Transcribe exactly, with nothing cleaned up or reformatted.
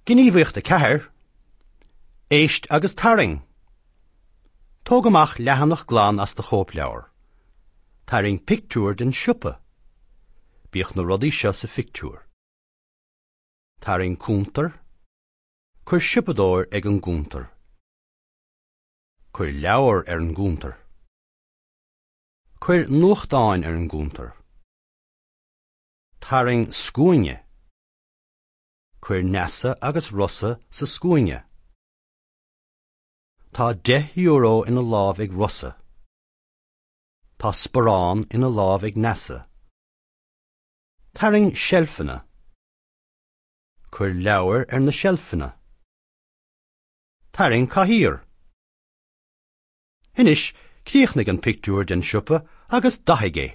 Gníomhaíocht a ceathair. Éist agus tarraing. Tóg amach leathanach glan as do chóipleabhar. Tarraing pictiúr den siopa. Bíodh na rudaí seo sa phictiúr. Tarraing cuntar. Cuir siopadóir ag an gcuntar. Cuir leabhar ar an gcuntar. Cuir nuachtáin ar an gcuntar. Tarraing scuaine. Cuir Neasa agus Rossa sa scuaine. Tá deich euro ina lámh ag Rossa. Tá sparán ina lámh ag Neasa. Tarraing seilfeanna. Cuir leabhair ar na seilfeanna. Tarraing cathaoir. Anois críochnaigh an pictiúr den siopa agus dathaigh é.